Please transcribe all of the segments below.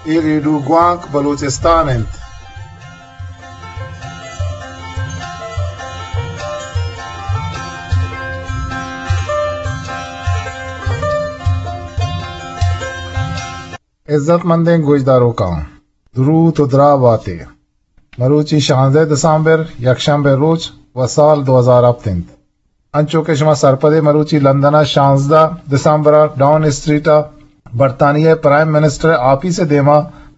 اے ریڈیو گوانک بلوچستان انت۔ عزت مندیں گوشداروکاں، دروت و دراہ باتے۔ مروچی شانزدہ دسمبر، یکشنبے روچ و سال دو ہزار ہپت انت۔ انچو کہ شما سرپدے، مروچی لندن ء شانزدہ دسمبر ء ڈاؤن اسٹریٹ ء برطانیہ ء پرائم منسٹر ء آپیس ء دیما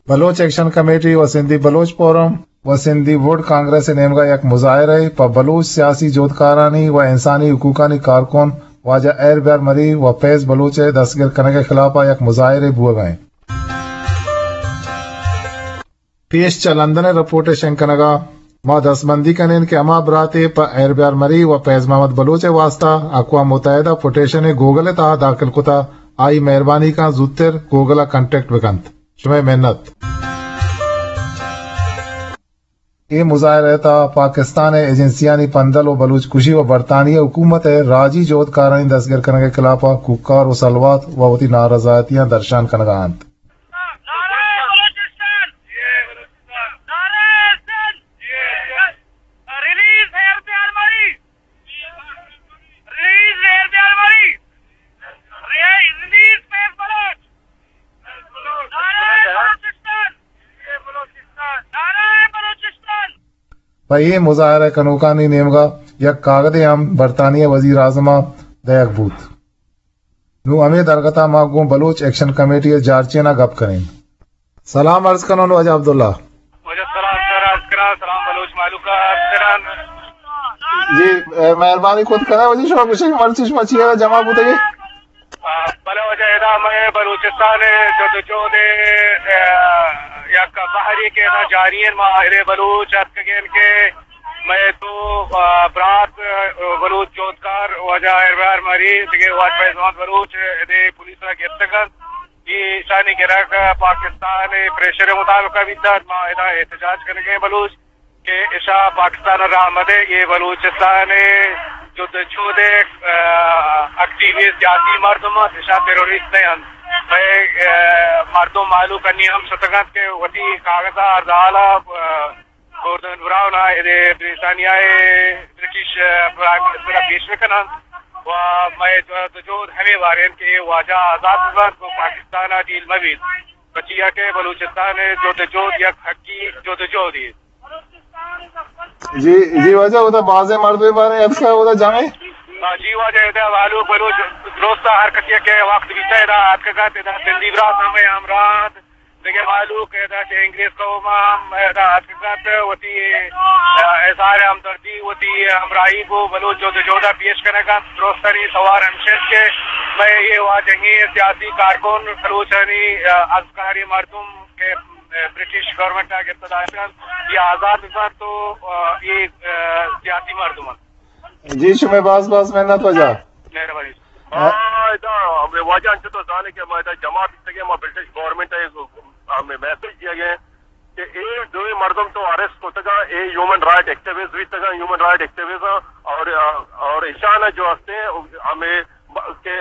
بلوچ ایکشن کمیٹی و سندھی بلوچ فورم و سندھی ووڈ کانگریس ء نیمگا یک مظاہرہ ء پہ بلوچ سیاسی جہدکارانی و انسانی حقوقانی کارکن واجہ ایر بیار مری و فیض بلوچ ء دستگیر کنگ ء خلاف ء یک مظاہرے بوگ ء انت۔ پیش چہ لندن ء رپورٹ ء شنگ کنگ ء ما دستبندی کنین کہ ہما براتے پہ ایر بیار مری و فیض محمد بلوچ ء واستہ اقوام متحدہ پٹیشن ء گوگل ء تہا داخل کتا، آئی مہربانی کن زوتر گوگل ء کنٹیکٹ بکنت۔ شمئے منت۔ اے مظاہرہ ء تہا پاکستان ء ایجنسیانی پندل و بلوچ کشی و برطانیہ حکومت ء راجی جہدکارانی دستگیر کنگ ء خلاف ء کوکار و سلوات و وتی نارضایتیاں درشان کنگ ء انت۔ نعرہ بلوچستان! نعرہ سندھ! ریلیز ایر بیار مری! ریلیز ایر بیار مری! ریلیز فیض بلوچ! نعرہ بلوچستان! نعرہ بلوچستان! پہ اے مظاہرہ کنوکانی نیمگا یک کاگدے ہم برطانیہ وزیر اعظم ء دئیگ بوت۔ نوں ہمے درگت ء ما گوں بلوچ ایکشن کمیٹی ء جارچین ء گپ کنیں۔ سلام عرض کنوں واجہ عبداللہ۔ واجہ سلام سر عرض کناں، سلام بلوچ مہلوک ء عرض کناں۔ جی، اے، مہربانی کت کناں واجہ شما گوشے کہ مرچی شما چی ء جمع بوتگے؟ آ، بلے واجہ ادا مئے بلوچستان ء جد و جہد ء، آ، یک بہرے کہ ادا جاری انت، ما اہل بلوچ اتکگیں کہ مئے دو، آ، برات، آ، بلوچ جہدکار واجہ اربار مری، دگہ واجہ فیض محمد بلوچ ادے پولیس ء گپتگ انت۔ اے ایشانی گرگ پاکستان ء پریشر ء مطابق ء بیتگ۔ ما ادا احتجاج کنگیں بلوچ کہ ایشاں پاکستان ء راہ مدئے، اے بلوچستان ء جد ء جہد ء، آ، ایکٹیوسٹ سیاسی مردم انت، ایشاں تروریسٹ نہ انت۔ مئے، آ، مردم مہلوک انی ہم شتگ انت کہ وتی کاغذ ء ہر حال ء، آ، گورڈن براؤن ء ادے بریٹانیا ء برٹش، آ، پرائم منسٹر ء پیش بہ کن انت و مئے جد ء جہد ہمے بارے انت کہ اے واجہ آزات بہ بنت و پاکستان ء ڈیل مہ بیت، پرچیا کہ بلوچستان ء جد ء جہد یک حقی جد ء جہدے۔ جی، جی واجہ، اودا بازیں مردمے باریں اتکا اودا جمع؟ ہاں، جی واجہ، ادا مہلوک بلوچ درست ہر کسی کہ وقت بیتا ادا اتکگا، ادا سندھی برات ہمے ہمراہ انت، دگہ مہلوک ادا چہ انگریز قوم ہم ادا اتکگا، وتی، آ، اظہار ہمدردی، وتی ہمراہی گوں بلوچ جد و جہدا پیش کنگا۔ درستانی سوار ہمیش انت کہ مئے اے واجہیں سیاسی کارکن بلوچانی، آ، ازکاری مردم کہ برٹش گورنمنٹ ء گپت داشتگ انت، اے آزاد بہ بنت و، آ، اے، آ، سیاسی مردم انت۔ جی، شمئے باز باز منت واجہ۔ مہربانی۔ ما ادا ہمے واجہ انچو تو زانے کہ ما ادا جمع بیتگیں، ما برٹش گورنمنٹ ء ہمے میسج دیگ ء کہ اے دوئیں مردم تو اریسٹ کتگاں، اے ہیومن رائٹ ایکٹیوسٹ بیتگاں، ہیومن رائٹ ایکٹیوسٹ اور، اور ایشان جو ہستے ہمے کہ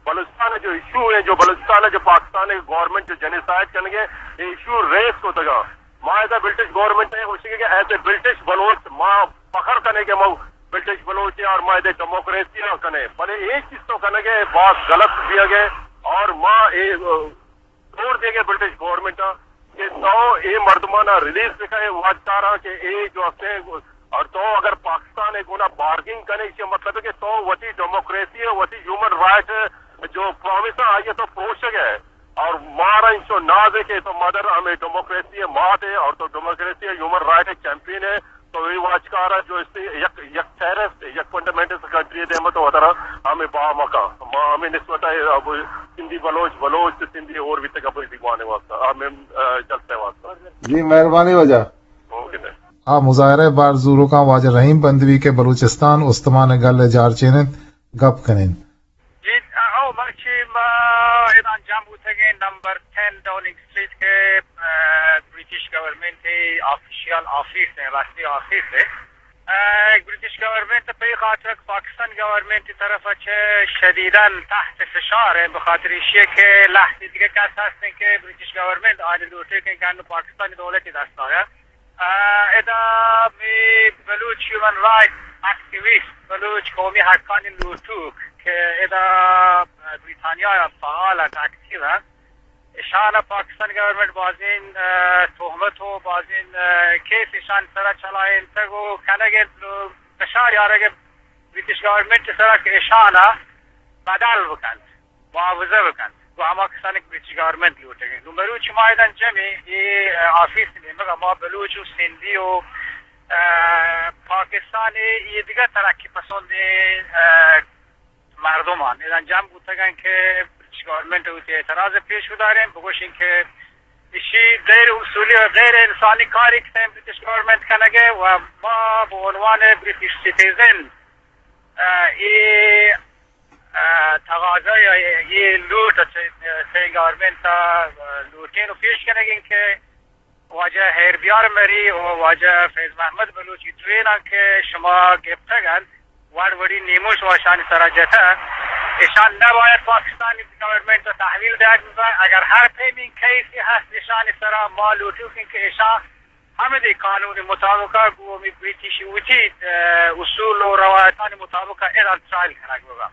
بلوچستان ء جو ایشو ہے، جو بلوچستان ء جو پاکستان ء گورنمنٹ جو جینوسائیڈ کنگ ء، اے ایشو ریز کتگاں۔ ما ادا برٹش گورنمنٹ ء گوشگ کہ ایز اے برٹش بلوچ ما فخر کنے کہ ما برٹش بلوچ ہیں اور ما ادے ڈیموکریسی ء کنے، بلے اے چیز تو کنگ ء باز غلط بیگ ء اور ما اے، ا، زور دیگ ء برٹش گورنمنٹ ء کہ تو اے مردمانا ریلیز بکئے، واجکاراں کہ اے جو ہستیں، اور تو اگر پاکستان ء گونا بارگینگ کنے، اس کا مطلب ہے کہ تو وتی ڈیموکریسی ء وتی ہیومن رائٹ ء جو پرامیس ء آئی ء تو پروشگ ء، اور مارا انچو ناز ہے کہ تو مدر ہمیں ڈیموکریسی ء مات ہے اور تو ڈیموکریسی ء ہیومن رائٹ ء چیمپئن ہے۔ تو اے واجکار ء جو است یک، یک ٹیررسٹ، یک فنڈامنٹلسٹ کنٹری ء دیم ء تو وترا ہمیں با مکا۔ ما ہمیں نسبت ء اب سندھی بلوچ، بلوچ تو سندھی اور بھی تک اپنی دیوانے واسطہ ہمیں، آ، جلسے واسطہ۔ جی، مہربانی واجہ۔ اوکے سر۔ آ مظاہرہ ء بار زوروکاں واجہ رحیم بندوی کہ بلوچستان استمان ء گل ء جارچین انت، گپ کن انت۔ جی، او مرچی ما ادا جمع بوتگیں نمبر ٹین ڈاؤننگ اسٹریٹ کہ، آ، برٹش گورنمنٹ ء آفیشل آفیس ء، رسمی آفیس ء۔ اه، برٹش گورنمنٹ پہ خاطر کہ پاکستان گورنمنٹ طرف چہ شدیداً تحت فشار ہے، بخاطر ایشی کہ لہتے دیگہ کس ہستیں کہ برٹش گورنمنٹ آنی لوٹے کہ گن پاکستانی دولت دست آیا۔ اه، ادا می بلوچ ہیومن رائٹ ایکٹیویسٹ، بلوچ قومی حقانی لوٹوک کہ ادا بریتانیا فعال اکٹیو ہیں، اشان پاکستان گورنمنٹ بازین، اه، تہمت و بازین، اه، کیس اشان سرا چلائینتگ و کنگ انت، نو فشار یارگ برٹش گورنمنٹ سرا کہ اشان بدل بکنت، معاوضہ بکنت و ہما کسانی کہ برٹش گورنمنٹ لوٹگ انت۔ نو مروچی ما ایدن جمع اے، اه، آفیس نیمگ ما بلوچ و سندھی و، اه، پاکستان اے دیگہ ترقی پسند، اه، مردمان ادا جمع بوتگن کہ برٹش گورنمنٹ وتی اعتراض پیش بداریں، بگوشیں کہ ایشی غیر اصولی و غیر انسانی کاری کہ برٹش گورنمنٹ کنگے و ما به عنوان برٹش سیتیزن، اه، اے، اه، تقاضا یا اے لوٹ چہ، چہ گورنمنٹ ءَ لوٹیں و پیش کنگیں کہ واجہ ہیربیار مری و واجہ فیض محمد بلوچی دوئیناں کہ شما گپتگ انت، وڑ وڑی نیموش واشانی سرا جتہ، اشان نباید پاکستانی گورنمنٹ ءَ تحویل دات ببن۔ اگر ہر پیمیں کیسی ہست اشانی سرا، ما لوٹوکیں کہ اشان ہمدی قانون مطابق گوں ہمے برٹش وتی، اه، اصول و روایتانی مطابق ایران ٹرائل کنگ ببن۔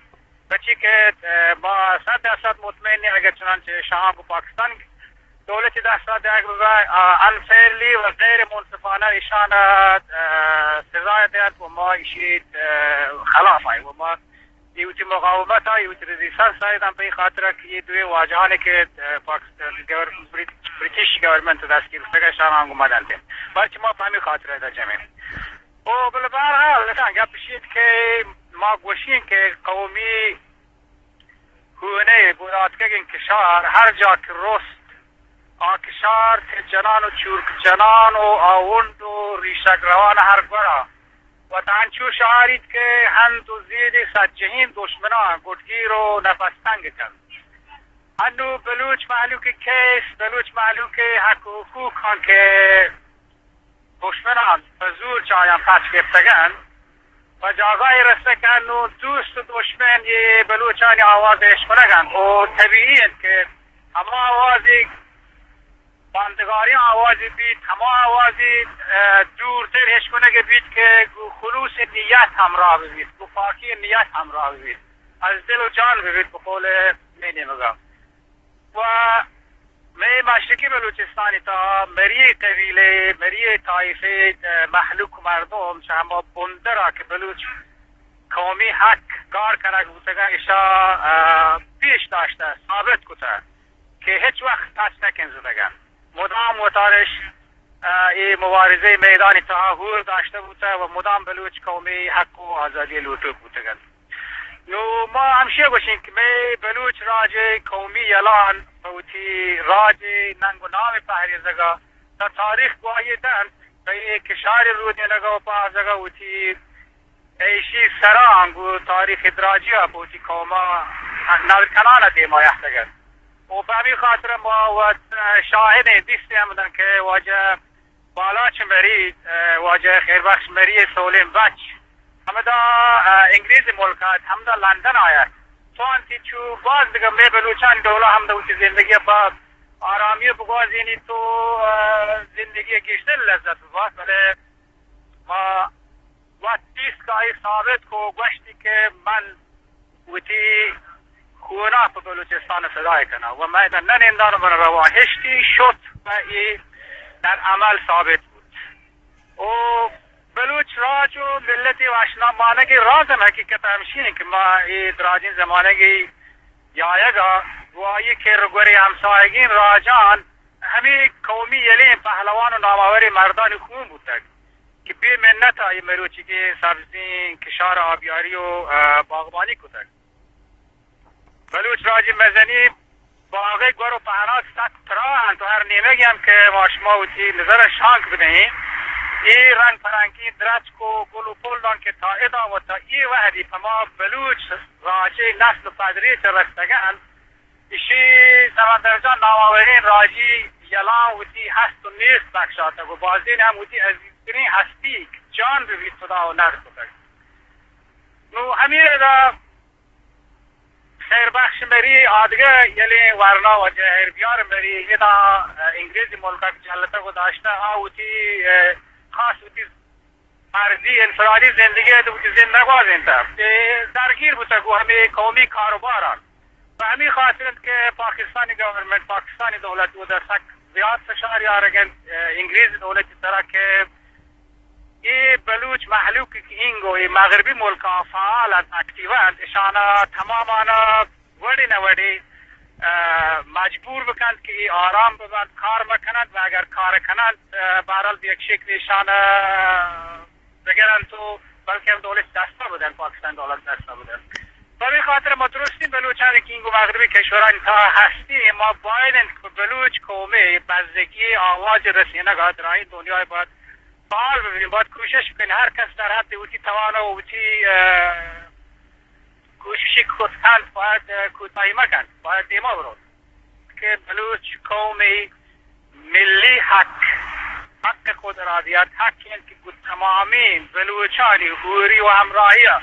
پرچی کہ، اه، ما صد درصد مطمئن ایں، اگر چنانچہ شاہان گوں پاکستان دولت دست ءَ دئیگ بہ بہ، آ، انفیئرلی و غیر منصفانہ ایشان ءَ، آ، سزا دئیت و ما ایشی، آ، خلاف آئی و ما اے وتی مقاومت ءَ، اے وتی ریزیسٹنس ءَ داں پہ خاطر کہ اے دوئیں واجہانی کہ، آ، پاکستان گور-، برٹ-، برٹش گورنمنٹ دستگیر کتگ، ایشان ہم گوں ما دنت۔ بلکہ ما پہ ہمے خاطر ءَ جمع ایں۔ او بلے بہرحال، اصلاً گپ اشی کہ ما گوشیں کہ قومی ہونئے گوراتکگیں کشار ہر جا کہ رست، آ کشار چہ جنان و چورک جنان و آونڈ و ریشگ روان ہر گورا وت انچو شہاریت کہ ہند و زیدی سجہیں دشمناں گٹگیر و نفس تنگ کنت۔ انو بلوچ مہلوک کیس، بلوچ مہلوک حق و حقوقاں کہ دشمنان پہ زور چہ آیاں پچ گپتگ انت، پہ جاگہے رسگ کہ نوں دوست و دشمن اے بلوچانی آواز اشکنگ انت و طبیعی انت کہ ہما آوازے ماندگاریں آوازے بیت، ہما آوازے، اه، دورتر اشکنگ بیت کہ گوں خلوص نیت ہمراہ ببیت، گوں پاکی نیت ہمراہ ببیت، از دل و جان ببیت، بقول مئے نیمگا۔ و مئے مشرقی بلوچستانی تہا مری قبیلہ، مری طائفہ، اه، مہلوک مردم چہ ہما بندرا کہ بلوچ قومی حق گار کنگ بوتگاں، اشا، اه، پیش داشتہ، ثابت کتہ کہ ہچ وقت پچ نہ کنزدگن۔ مدام وتارش، اه، اے مبارزہ میدانی تہا ہور داشتہ بوتہ و مدام بلوچ قومی حق و آزادی لوٹوک بوتگن۔ نوں ما ہمشی گوشیں کہ مئے بلوچ راج ءِ قومی یلان پہ وتی راج ءِ ننگ و نام ءِ پہریزگ ءَ تا تاریخ گواہی دنت، پہ اے کشار ءِ رودینگ ءَ و پہازگ ءَ وتی ایشی سرا انگو تاریخ ءِ دراجی ءَ پہ وتی قوم ءَ نل کنان ءَ دیما یاتگ انت۔ و پہ ہمے خاطر ءَ ما وت شاہدیں دیستے ہم دن کہ واجہ بالاچ مری، اه، واجہ خیر بخش مری سولیں بچ ہمدا، اه، انگریز ملک ات، ہمدا لندن آیت۔ تو انتی چو باز دگہ مئے بلوچانی ڈولا ہمدا وتی زندگی پہ آرامی بگوازینی تو، اه، زندگی گیشتر لذت ببات، بلے ما وت دیست کہ آئی ثابت کو گوشتی کہ من وتی خونا پہ بلوچستان فدای کناں و مئے داں نہ نندان و من رواں ہشتی شت و اے در عمل ثابت بوت۔ و بلوچ راج و ملتی وشنام مانگی راز ہم حقیقت ہمشی انت کہ ما اے دراجیں زمانگی یایگا گواہی کہ رگوری ہمساہگین راجان ہمیں قومی یلیں پہلوان و ناماوریں مردانی خون بوتگ کہ بے منت آئی مروچی کہ سبزیں کشار آبیاری و، اه، باغبانی کتگ۔ بلوچ راجی مزنی باغ گور و پہنات سک پراہ انت و ہر نیمگی ہم کہ ما شما وتی نظر شانک بدہیں، اے رنگ پرنگی درچک و گل و پلان کہ تا ادا و تا اے وہدی پما بلوچ راجی نسل پدری چہ رستگن، ایشی سمندر جان ناماوریں راجی یلان وتی ہست و نیست بخشاتگ و بازین ہم وتی عزیز ترین ہستی جان بہ بیت، خدا و نر کتگ۔ نو ہمے ردا خیر بخش مری آدگہ یلیں ورنا واجہ خیر بیار مری ادا انگریزی ملکا جہلتگ و داشتہ، آ وتی، اه، خاص وتی فردی انفرادی زندگی ء وتی زند نہ گوازینتہ کہ درگیر بوتگ گوں ہمے قومی کاروبار ء۔ پہ ہمے خاطر انت کہ پاکستانی گورنمنٹ، پاکستانی دولت اودا سک زیات فشار یارگ انت، اه، انگریز دولت ء سرا کہ اے بلوچ مہلوک کہ اینگو اے مغربی ملکاں فعال انت، ایکٹیو انت، اشانا تمامانا وڑے نہ وڑے، اه، مجبور بکنت کہ اے آرام ببنت، کار مکننت و اگر کار کننت، اه، بہرحال یک شکلی اشان، اه، بگرنت و بلکہ ہم دولت دستا بدنت، پاکستان دولت دستا بدنت۔ پہ ہمے خاطر ما درستیں بلوچانی کہ اینگو مغربی کشورانی تہا ہستیں، ما باید انت کہ بلوچ قومے بزگی آواز رسینگا درائیں دنیا باید فعال ببین، باید کوشش بکن، ہر کس در حد وتی توانا و وتی، اه، کوششی کت کنت، باید، اه، کوتاہی مکنت، باید دیما بروت کہ بلوچ قومی ملی حق، حق خود ارادیت، حق انت کہ گوں تمامیں بلوچانی ہوری و ہمراہی ء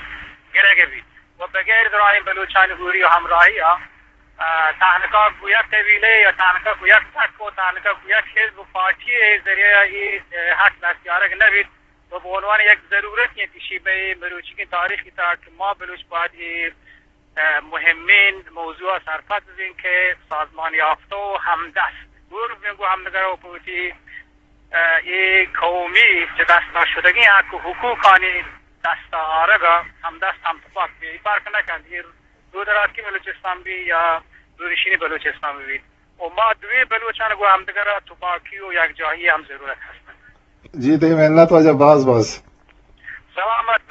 گرگ بیت و بغیر درائیں بلوچانی ہوری و ہمراہی ء، اه، تہنکا گوں یک قبیلے یا تہنکا گوں یک تک و تہنکا گوں یک حزب و پارٹی ء ذریعہ ء اے، اه، حق دست یارگ نہ بیت۔ و بہ عنوان یک ضرورت انت ایشی بہ مروچیگیں تاریخ ء تہا کہ ما بلوچ باید اے، اه، مہمیں موضوع ء سرپد ببیں کہ سازمان یافتہ و ہمدست گور ببیں گوں ہمدگر و پہ وتی، اه، اے قومی چہ دست داشتگیں حق و حقوقانی دست آرگ ء ہمدست ہم تپاک بیں۔ اے فرق نہ کنت، اے دودراتکی بلوچستان بی یا دودشینی بلوچستان بی۔ و ما دوئیں بلوچان گوں ہمدگر ء تپاکی و یکجاہی ہم ضرورت ہست۔ جی، تئی محنت واجہ، باز باز سلامت۔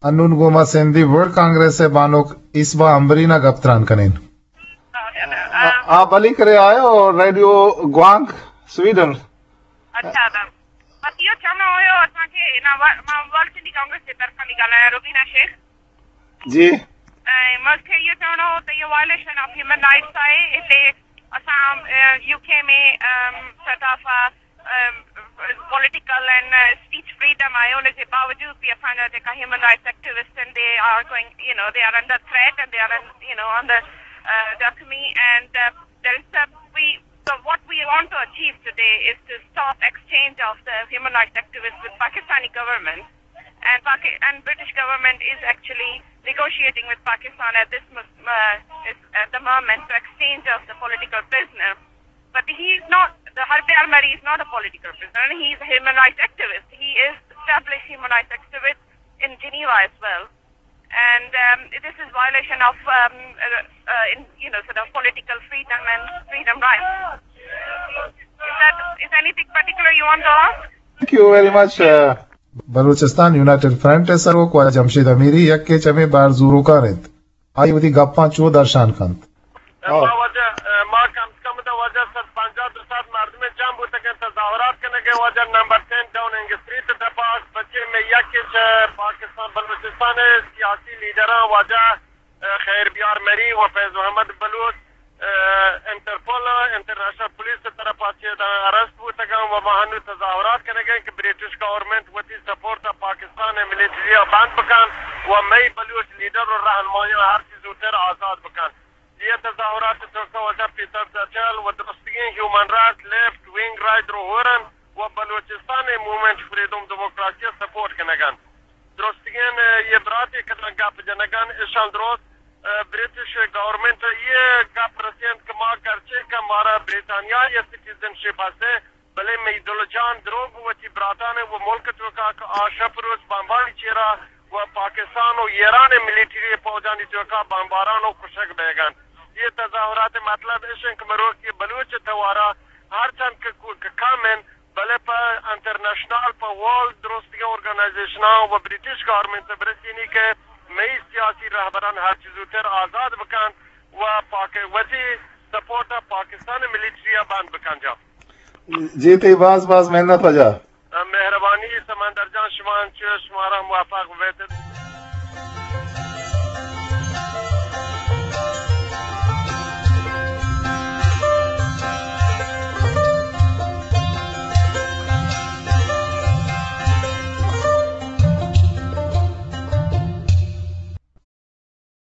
انون گوں ما سندھی ورلڈ کانگریس ء بانک اسبا امبرین ء گپ تران کنیں۔ آ، آ، بلی کرے آئے اور ریڈیو گوانک سویڈن۔ اچھا، دا۔ بس یہ چاہنا ہو، اساں کے نا ور-، ما ورلڈ سندھی کانگریس کے طرف سے نکالا ہے، روبینہ شیخ۔ جی۔ ء، ملک ء یہ چاہنا ہو تو یہ وائلیشن آف ہیومن رائٹس آئے، اسے اساں، ء، یو کے میں، ام، سیٹ آف، ء، ام، پولیٹیکل اینڈ، ء، اسپیچ فریڈم آئے، ان کے باوجود بھی اساں جا جیکا ہیومن رائٹس ایکٹیوسٹ اینڈ دے آر گوئنگ، یو نو، دے آر انڈر تھریٹ اینڈ دے آر، یو نو، آن دا، ء، زخمی اینڈ، ء، دیر از ا، وی، سو واٹ وی وانٹ ٹو اچیو ٹوڈے از ٹو اسٹاپ ایکسچینج آف دا ہیومن رائٹس ایکٹیوسٹ ود پاکستانی گورنمنٹ. And Paki-, and British government is actually negotiating with Pakistan at this mo-, uh, is, at the moment to exchange of the political prisoner. But he is not, the Harbiar Mari is not a political prisoner. He is a human rights activist. He is established human rights activist in Geneva as well. And, um, this is violation of, um, uh, uh, in, you know, sort of political freedom and freedom rights. Is that, is anything particular you want to ask? Thank you very much, uh, بلوچستان یونائیٹڈ فرنٹ ء سروک واجہ جمشید امیری یکے چمے بہر زوروکار انت۔ آئی وتی گپاں چو درشان کنت۔ ما واجہ، ما کم از کم دا واجہ صد پنجاہ دو صد مردم جمع بوتگ انت، تظاہرات کنگ ء واجہ نمبر ٹین ڈاؤننگ اسٹریٹ ء دپا، بچے میں یکے چہ پاکستان بلوچستان ء سیاسی لیڈراں واجہ خیر بیار مری و فیض محمد بلوچ، اه، انٹرپول، انٹرنیشنل پولیس ء طرفا چہ داں ارسٹ بوتگاں و ما ہنو تظاہرات کنگیں کہ برٹش گورنمنٹ وتی سپورٹ ء پاکستان ء ملٹری ء بند بکن و مئی بلوچ لیڈر و رہنمایاں ہر چیز زودتر آزاد بکن۔ یہ تظاہرات ء توکا واجہ پیٹر ٹچل و درستگیں ہیومن رائٹ، لیفٹ ونگ رائٹ رو ہورن و بلوچستان ء موومنٹ فریڈم ڈیموکراسی ء سپورٹ کنگن۔ درستگیں، اه، یہ براتے کداں گپ جنگان اشان درست، اه، برٹش گورنمنٹ یہ گپ رسینت کہ ما گرچہ کہ مارا بریٹانیا یہ سٹیزن شپ ہستے، بلے مئی دل جان دروگ وتی براتان و ملک توکا کہ آ شپ روز بمبانی چیرا و پاکستان و ایران ملیٹری فوجانی توکا بمباران و کشگ بیگن۔ یہ تظاہرات مطلب اشن کہ مروک یہ بلوچ توارا ہر چند کہ کو-، کہ کم انت، بلے پہ انٹرنیشنل، پہ ورلڈ درستگیں آرگنائزیشناں و برٹش گورنمنٹ ء برسینی کہ مئی سیاسی رہبران ہر چیز زودتر آزاد بکنت و پاک-، وتی سپورٹ ء پاکستان ملیٹری ء بند بکن جا۔ جی، تئی باز باز محنت واجہ۔ مہربانی سمندر جان، شما انچو شمارا موفق بیت۔